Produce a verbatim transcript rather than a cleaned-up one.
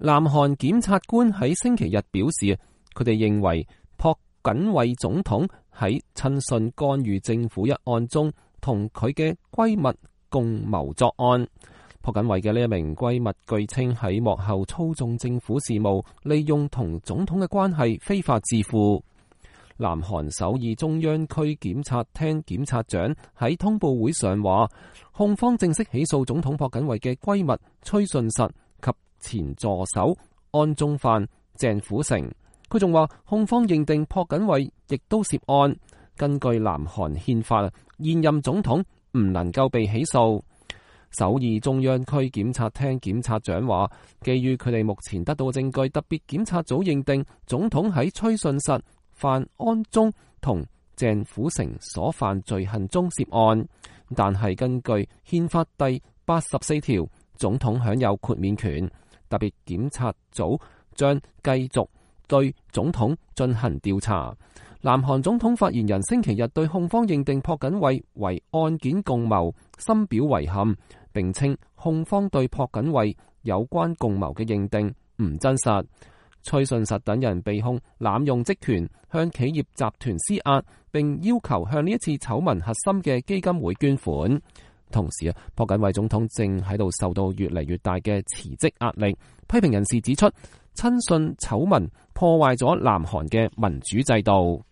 南韓檢察官喺星期日表示，佢哋認為朴槿惠總統喺親信干預政府一案中，同佢嘅閨蜜共謀作案。朴槿惠嘅呢一名閨蜜據稱喺幕後操縱政府事務，利用同總統嘅關係非法致富。南韓首爾中央區檢察廳檢察長喺通報會上話，控方正式起訴總統朴槿惠嘅閨蜜崔順實及前助手安宗範鄭府成。佢仲話，控方認定朴槿惠亦都涉案。根據南韓憲法，現任總統唔能夠被起訴。首爾中央區檢察廳檢察長話，基於佢哋目前得到證據，特別檢察組認定總統喺崔順實、范安宗同鄭府成所犯罪行中涉案。但係根據憲法第八十四條，總統享有豁免權，特別檢察組將繼續對總統進行調查。南韓總統發言人星期日對控方認定朴槿惠為案件共謀深表遺憾，並稱控方對朴槿惠有關共謀嘅認定唔真實。崔順實等人被控濫用職權，向企業集團施壓，並要求向呢一次醜聞核心嘅基金會捐款。同時啊，朴槿惠總統正喺度受到越嚟越大嘅辭職壓力。批評人士指出，親信醜聞破壞咗南韓嘅民主制度。